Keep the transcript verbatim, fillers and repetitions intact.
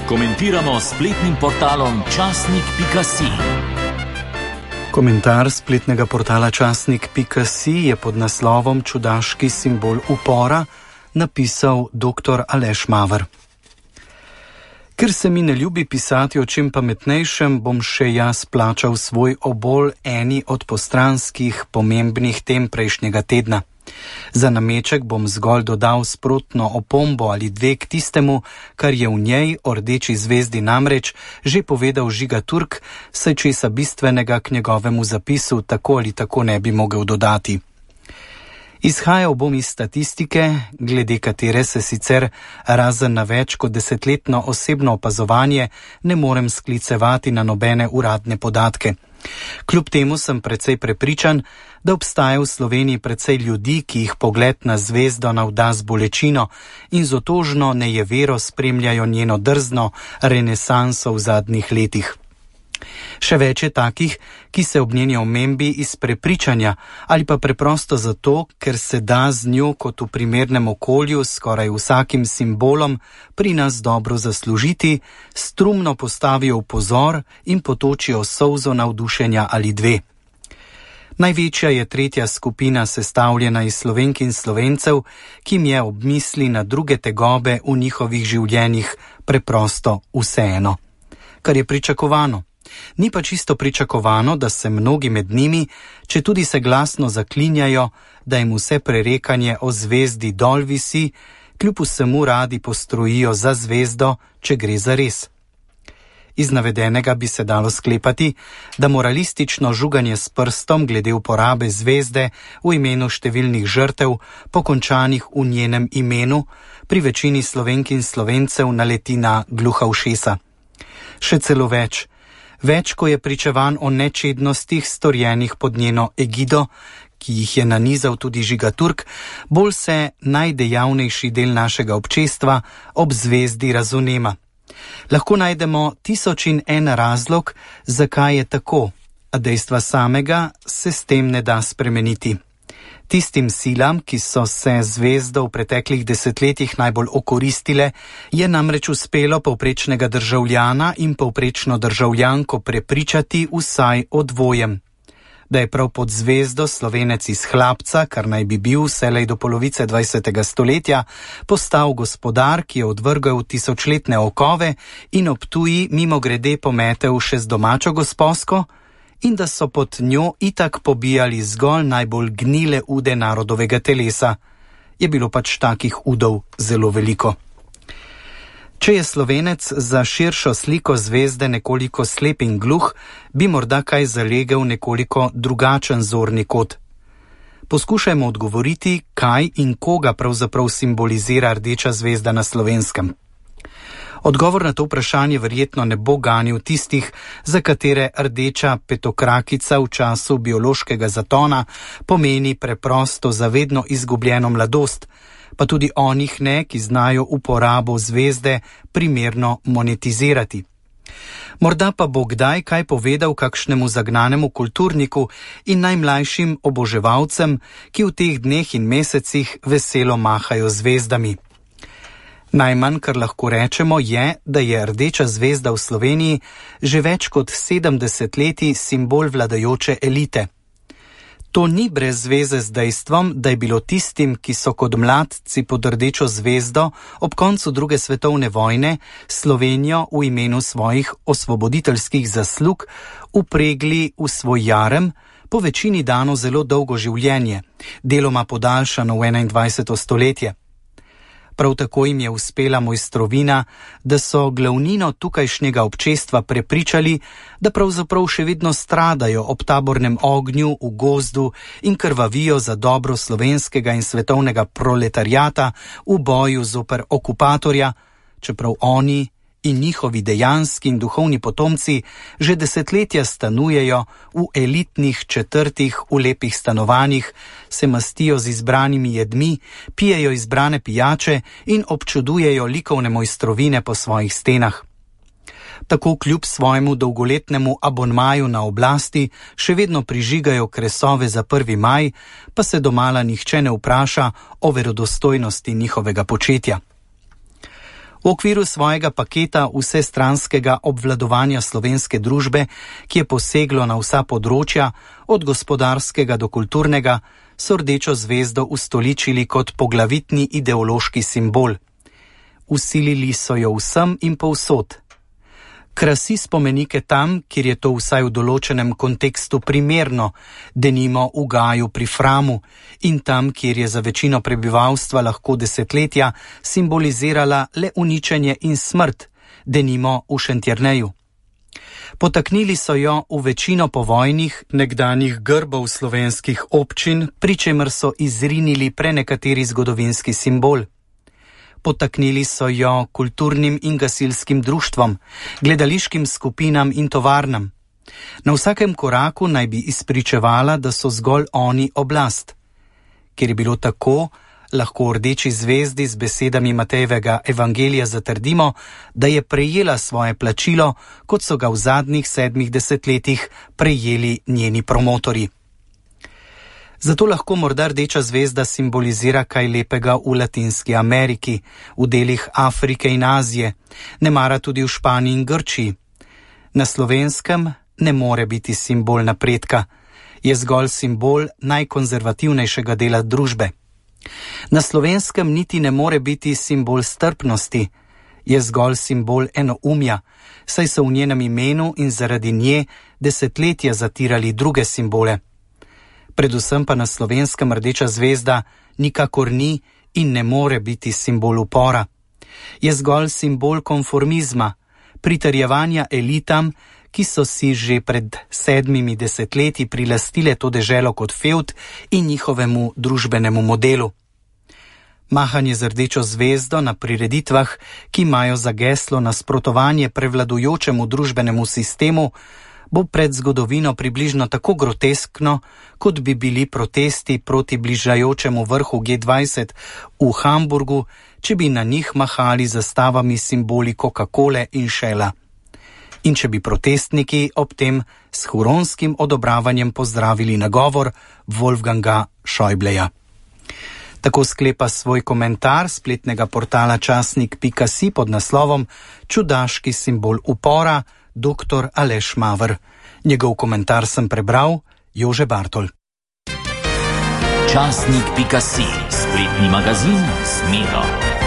Komentiramo s spletnim portalom časnik pika si. Komentar spletnega portala časnik pika si je pod naslovom Čudaški simbol upora napisal doktor Aleš Maver. Ker se mi ne ljubi pisati o čem pametnejšem, bom še jaz plačal svoj obol eni od postranskih pomembnih tem prejšnjega tedna. Za nameček bom zgolj dodal sprotno opombo ali dve k tistemu, kar je v njej o rdeči zvezdi namreč že povedal Žiga Turk, saj česa bistvenega k njegovemu zapisu tako ali tako ne bi mogel dodati. Izhajal bom iz statistike, glede katere se sicer razen na več kot desetletno osebno opazovanje ne morem sklicevati na nobene uradne podatke. Kljub temu sem precej prepričan, da obstaja v Sloveniji precej ljudi, ki jih pogled na zvezdo navda z bolečino in z otožno nejevero spremljajo njeno drzno renesanso v zadnjih letih. Še več je takih, ki se ob njeni omembi iz prepričanja ali pa preprosto zato, ker se da z njo kot v primernem okolju skoraj vsakim simbolom pri nas dobro zaslužiti, strumno postavijo v pozor in potočijo solzo navdušenja ali dve. Največja je tretja skupina, sestavljena iz Slovenk in Slovencev, ki jim je ob misli na druge tegobe v njihovih življenjih preprosto vseeno. Kar je pričakovano. Ni pa čisto pričakovano, da se mnogi med njimi, če tudi se glasno zaklinjajo, da jim vse prerekanje o zvezdi dol visi, kljub vsemu radi postrojijo za zvezdo, če gre za res. Iz navedenega bi se dalo sklepati, da moralistično žuganje s prstom glede uporabe zvezde v imenu številnih žrtev, pokončanih v njenem imenu, pri večini Slovenk in Slovencev naleti na gluha ušesa. Še celo več. Več, ko je pričevan o nečednostih storjenih pod njeno egido, ki jih je nanizal tudi Žiga Turk, bolj se najdejavnejši del našega občestva ob zvezdi razunema. Lahko najdemo tisoč in en razlog, zakaj je tako, a dejstva samega se s tem ne da spremeniti. Tistim silam, ki so se zvezdo v preteklih desetletjih najbolj okoristile, je namreč uspelo povprečnega državljana in povprečno državljanko prepričati vsaj o dvojem. Da je prav pod zvezdo Slovenec iz Hlapca, kar naj bi bil vselej do polovice dvajsetega stoletja, postal gospodar, ki je odvrgel tisočletne okove in ob tuji mimogrede pometel še z domačo gosposko, in da so pod njo itak pobijali zgolj najbolj gnile ude narodovega telesa. Je bilo pač takih udov zelo veliko. Če je Slovenec za širšo sliko zvezde nekoliko slep in gluh, bi morda kaj zalegel nekoliko drugačen zorni kot. Poskušajmo odgovoriti, kaj in koga pravzaprav simbolizira rdeča zvezda na Slovenskem. Odgovor na to vprašanje verjetno ne bo ganil tistih, za katere rdeča petokrakica v času biološkega zatona pomeni preprosto zavedno izgubljeno mladost, pa tudi onih ne, ki znajo uporabo zvezde primerno monetizirati. Morda pa bo kdaj kaj povedal kakšnemu zagnanemu kulturniku in najmlajšim oboževalcem, ki v teh dneh in mesecih veselo mahajo zvezdami. Najmanj, kar lahko rečemo, je, da je rdeča zvezda v Sloveniji že več kot sedemdeset letij simbol vladajoče elite. To ni brez zveze z dejstvom, da je bilo tistim, ki so kot mladci pod rdečo zvezdo ob koncu druge svetovne vojne Slovenijo v imenu svojih osvoboditeljskih zaslug upregli v svoj jarem, po večini dano zelo dolgo življenje, deloma podaljšano v enaindvajseto stoletje. Prav tako jim je uspela mojstrovina, da so glavnino tukajšnjega občestva prepričali, da pravzaprav še vedno stradajo ob tabornem ognju v gozdu in krvavijo za dobro slovenskega in svetovnega proletariata v boju zoper okupatorja, čeprav oni in njihovi dejanski in duhovni potomci že desetletja stanujejo v elitnih četrtih v lepih stanovanjih, se mastijo z izbranimi jedmi, pijejo izbrane pijače in občudujejo likovne mojstrovine po svojih stenah. Tako kljub svojemu dolgoletnemu abonmaju na oblasti še vedno prižigajo kresove za prvi maj, pa se domala nihče ne vpraša o verodostojnosti njihovega početja. V okviru svojega paketa vsestranskega obvladovanja slovenske družbe, ki je poseglo na vsa področja, od gospodarskega do kulturnega, so rdečo zvezdo ustoličili kot poglavitni ideološki simbol. Vsilili so jo vsem in povsod. Krasi spomenike tam, kjer je to vsaj v določenem kontekstu primerno, denimo v Gaju pri Framu, in tam, kjer je za večino prebivalstva lahko desetletja simbolizirala le uničenje in smrt, denimo v Šentjerneju. Potaknili so jo v večino povojnih nekdanjih grbov slovenskih občin, pri čemer so izrinili prenekateri zgodovinski simbol. Potaknili so jo kulturnim in gasilskim društvom, gledališkim skupinam in tovarnam. Na vsakem koraku naj bi izpričevala, da so zgolj oni oblast. Ker je bilo tako, lahko v rdeči zvezdi z besedami Matejevega evangelija zatrdimo, da je prejela svoje plačilo, kot so ga v zadnjih sedmih desetletjih prejeli njeni promotorji. Zato lahko morda rdeča zvezda simbolizira kaj lepega v Latinski Ameriki, v delih Afrike in Azije, nemara tudi v Španiji in Grčiji. Na Slovenskem ne more biti simbol napredka, je zgolj simbol najkonzervativnejšega dela družbe. Na Slovenskem niti ne more biti simbol strpnosti, je zgolj simbol enoumja, saj so v njenem imenu in zaradi nje desetletja zatirali druge simbole. Predvsem pa na Slovenskem rdeča zvezda nikakor ni in ne more biti simbol upora. Je zgolj simbol konformizma, pritrjevanja elitam, ki so si že pred sedmimi desetletji prilastile to deželo kot fevd in njihovemu družbenemu modelu. Mahanje z rdečo zvezdo na prireditvah, ki imajo za geslo nasprotovanje prevladujočemu družbenemu sistemu, bo pred zgodovino približno tako groteskno, kot bi bili protesti proti bližajočemu vrhu G dvajset v Hamburgu, če bi na njih mahali zastavami simboli Coca-Cole in Shella. In če bi protestniki ob tem s huronskim odobravanjem pozdravili nagovor Wolfganga Schäubleja. Tako sklepa svoj komentar spletnega portala časnik pika si pod naslovom Čudaški simbol upora, doktor Aleš Maver. Njegov komentar sem prebral, Jože Bartol. Časnik pika si, spletni magazin s Miro.